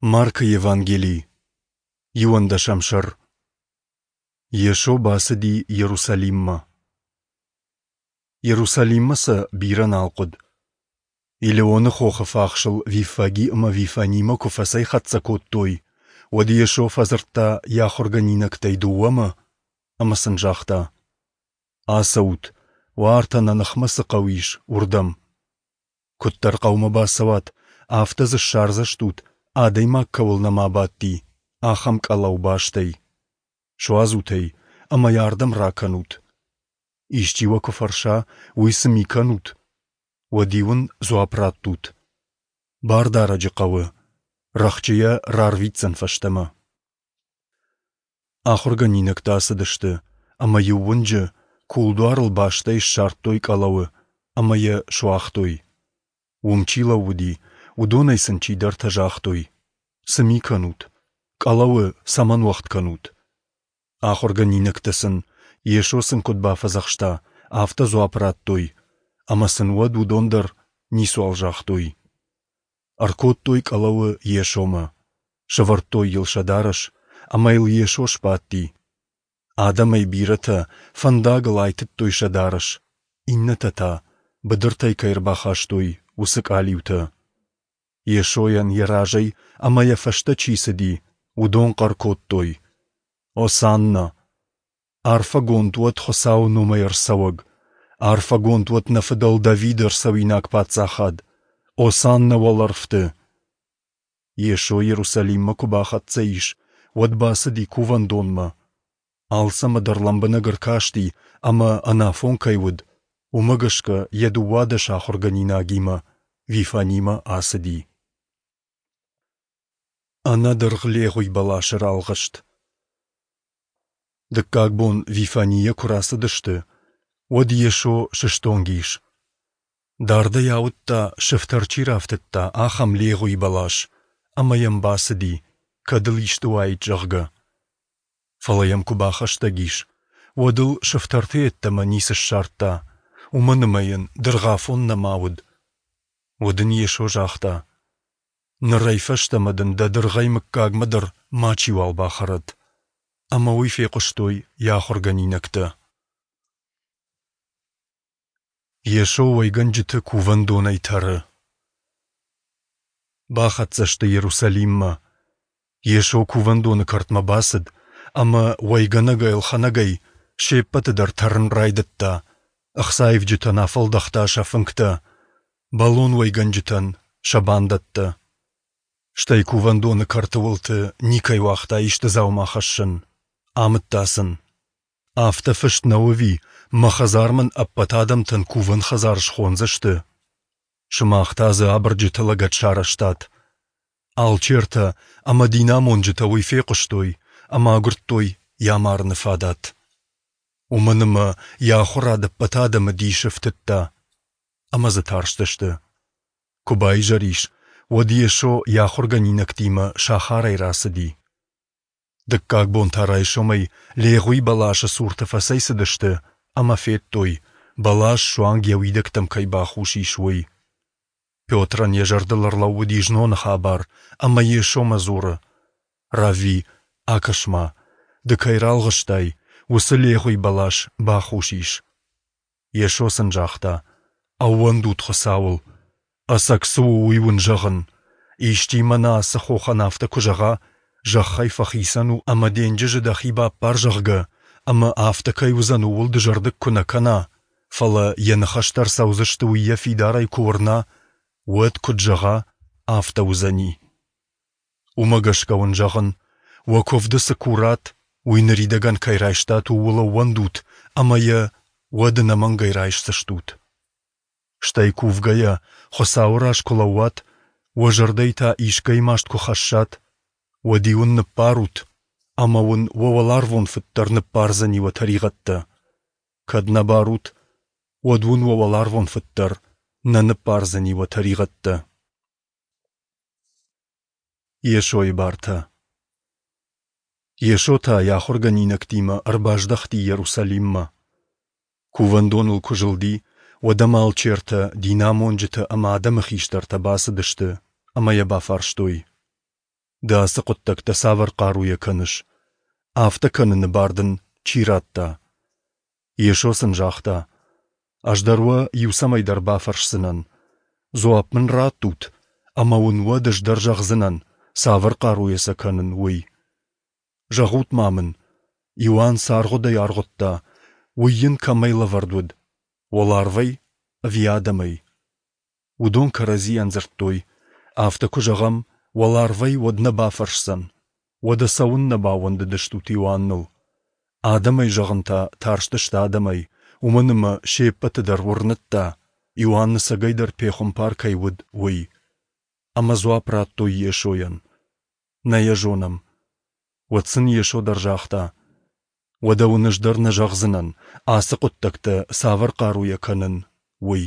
Маркы Евангели, иуӕндӕсӕм сӕр. Йесо бацыди Иерусалиммӕ. Иерусалиммӕ сӕ бирӕ нал хъуыд. Елеоны хохы фахсыл Виффаги ӕмӕ Вифанимӕ куы фӕцӕйхӕццӕ кодтой, уӕд Йесо фӕдзырдта йӕ ахуыргӕнинӕгтӕй дыууӕмӕ ӕмӕ сын загъта: Ацӕут, уартӕ нӕ ныхмӕ цы хъӕу ис, уырдӕм. Куыддӕр хъӕумӕ бацӕуат, афтӕ дзы ссардзыстут, адӕймаг кӕуыл нӕма бадти, ахӕм къӕлӕу бастӕй. Суадзут ӕй ӕмӕ йӕ ардӕм ракӕнут. Исчи уӕ куы фӕрса, уый цы ми кӕнут, уӕд-иу ын дзуапп раттут: Бардарӕджы хъӕуы, рӕхджы йӕ рарвитдзӕн фӕстӕмӕ. Ахуыргӕнинӕгтӕ ацыдысты, ӕмӕ иу уынджы кулдуарыл бастӕй ссардтой къӕлӕуы ӕмӕ йӕ суагътой. Уым чи лӕууыди, уыдонӕй сын чидӕртӕ загътой: Цы ми кӕнут? Къӕлӕуы цӕмӕн уӕгъд кӕнут? Ахуыргӕнинӕгтӕ сын, Йесо сын куыд бафӕдзӕхста, афтӕ дзуапп радтой, ӕмӕ сын уӕд уыдон дӕр ницуал загътой. Ӕркодтой къӕлӕуы Йесомӕ, сӕвӕрдтой йыл сӕ дарӕс, ӕмӕ йыл Йесо сбадти. Адӕмӕй бирӕтӕ фӕндагыл айтыдтой сӕ дарӕс, иннӕтӕ та, быдыртӕй кӕй ӕрбахастой, уыцы къалиутӕ. Йесойӕн йӕ разӕй ӕмӕ йӕ фӕстӕ чи цыди, уыдон хъӕр кодтой: Осанна! Арфӕгонд уӕд Хуыцауы номӕй ӕрцӕуӕг! Арфӕгонд уӕд нӕ фыдӕл Давиды ӕрцӕуинаг паддзахад! Осанна уӕлӕрвты! Йесо Иерусалиммӕ куы бахӕццӕ ис, уӕд бацыди кувӕндонмӕ. Алцӕмӕ дӕр лӕмбынӕг ӕркасти ӕмӕ, ӕнафон кӕй уыд, уымӕ гӕсгӕ йӕ 12 ахуыргӕнинагимӕ Вифанимӕ ацыди. Ӕнӕдыргъ легъуи бӕласы ралгъыст. Дыккаг бон Вифанийӕ куы рацыдысты, уӕд Йесо сыстонг ис. Дардӕй ауыдта, сыфтӕр чи рафтыдта, ахӕм легъуи бӕлас, ӕмӕ йӕм бацыди, кӕд ыл исты уаид, зӕгъгӕ. Фӕлӕ йӕм куы бахӕстӕг ис, уӕд ыл сыфтӕрты йеддӕмӕ ницы ссардта, уымӕн ӕмӕ йын дыргъафон нӕма уыд. Уӕд ын Йесо загъта: Нырӕй фӕстӕмӕ дын дӕ дыргъӕй мыггагмӕ дӕр мачиуал бахӕрӕд. Ӕмӕ уый фехъуыстой йӕ ахуыргӕнинӕгтӕ. Йесо уӕйгӕнджыты кувӕндонӕй тӕры. Бахӕццӕ сты Иерусалиммӕ. Йесо кувӕндоны кӕртмӕ бацыд ӕмӕ уӕйгӕнӕгӕй-ӕлхӕнӕгӕй се ппӕты дӕр тӕрын райдыдта, ӕхцаивджытӕн афӕлдӕхта сӕ фынгтӕ, бӕлон уӕйгӕнджытӕн сӕ бандӕттӕ. Стӕй кувӕндоны кӕрты уылты никӕй уагъта исты дзаума хӕссын, амыдта сын: Афтӕ фыст нӕу ӕви, мӕ хӕдзар мын ӕппӕт адӕмтӕн кувӕн хӕдзар схондзысты? Сымах та дзы абырджыты лӕгӕт сарӕзтат. Алчертӕ ӕмӕ динамонджытӕ уый фехъуыстой ӕмӕ агуырдтой йӕ амарыны фадат. Уымӕн ӕмӕ йӕ ахуырад ӕппӕт адӕмы дисы ӕфтыдта, ӕмӕ дзы тарстысты. Куы баизӕр ис, уӕд Йесо йӕ ахуыргӕнинӕгтимӕ сахарӕй рацыди. Дыккаг бон та райсомӕй легъуи бӕласы цурты фӕцӕйцыдысты ӕмӕ федтой, бӕлас суанг йӕ уидӕгтӕм кӕй бахус ис, уый. Петрӕн йӕ зӕрдыл ӕрлӕууыди зноны хабар ӕмӕ Йесомӕ дзуры: Равви, акӕс-ма, ды кӕй ралгъыстай, уыцы легъуи бӕлас бахус ис. Йесо сын загъта: Ӕууӕндут Хуыцауыл. Ӕцӕг цы у, уый уын зӕгъын. Исчи мӕнӕ ацы хохӕн афтӕ куы зӕгъа, зӕххӕй фӕхицӕн у ӕмӕ денджызы дӕхи баппар, зӕгъгӕ, ӕмӕ афтӕ кӕй уыдзӕн, ууыл дызӕрдыг куы нӕ кӕна, фӕлӕ йӕ ныхӕстӕ ӕрцӕудзысты, уый йӕ фидарӕй куы уырна, уӕд куыд зӕгъа, афтӕ уыдзӕни. Уымӕ гӕсгӕ уын зӕгъын, уӕ куывды цы курат, уый ныридӕгӕн кӕй райстат, ууыл ӕууӕндут ӕмӕ йӕ уӕд ӕнӕмӕнгӕй райсдзыстут. Стӕй кувгӕйӕ, Хуыцауы раз куы лӕууат, уӕ зӕрдӕйы та искӕй маст куы хӕссат, уӕд-иу ын ныббарут, ӕмӕ уын уӕ уӕларвон Фыд дӕр ныббардзӕни уӕ тӕригъӕдтӕ. Кӕд нӕ барут, уӕд уын уӕ уӕларвон Фыд дӕр нӕ ныббардзӕни уӕ тӕригъӕдтӕ. Йесойы бартӕ Йесо та йӕ ахуыргӕнинӕгтимӕ ӕрбаздӕхти Иерусалиммӕ. Кувӕндоныл куы зылди, уӕд ӕм алчертӕ, динамонджытӕ ӕмӕ адӕмы хистӕртӕ бацыдысты ӕмӕ йӕ бафарстой. Ды ацы хъуыддӕгтӕ цавӕр хъаруйӕ кӕныс? Афтӕ кӕныны бар дын чи радта? Йесо сын загъта, Ӕз дӕр уӕ иу цӕмӕйдӕр бафӕрсдзынӕн. Дзуапп мын раттут, ӕмӕ уын уӕд ӕз дӕр зӕгъдзынӕн, цавӕр хъаруйӕ сӕ кӕнын, уый. Зӕгъут-ма мын, Иоанн цы аргъуыдӕй аргъуыдта, уый йын кӕмӕй лӕвӕрд уыд, уӕларвӕй ӕви адӕмӕй? Уыдон кӕрӕдзийӕн дзырдтой, Афтӕ куы зӕгъӕм, уӕларвӕй, уӕд нӕ бафӕрсдзӕн, уӕдӕ цӕуыннӕ баууӕндыдыстут Иоанныл? Адӕмӕй зӕгъын та тарстысты адӕмӕй, уымӕн ӕмӕ се ппӕты дӕр уырныдта, Иоанн ӕцӕгӕйдӕр пехуымпар кӕй уыд, уый. Ӕмӕ дзуапп радтой Йесойӕн: Нӕ йӕ зонӕм. Уӕд сын Йесо дӕр загъта: Уӕдӕ уын ӕз дӕр нӕ зӕгъдзынӕн, ацы хъуыддӕгтӕ цавӕр хъаруйӕ кӕнын, уый.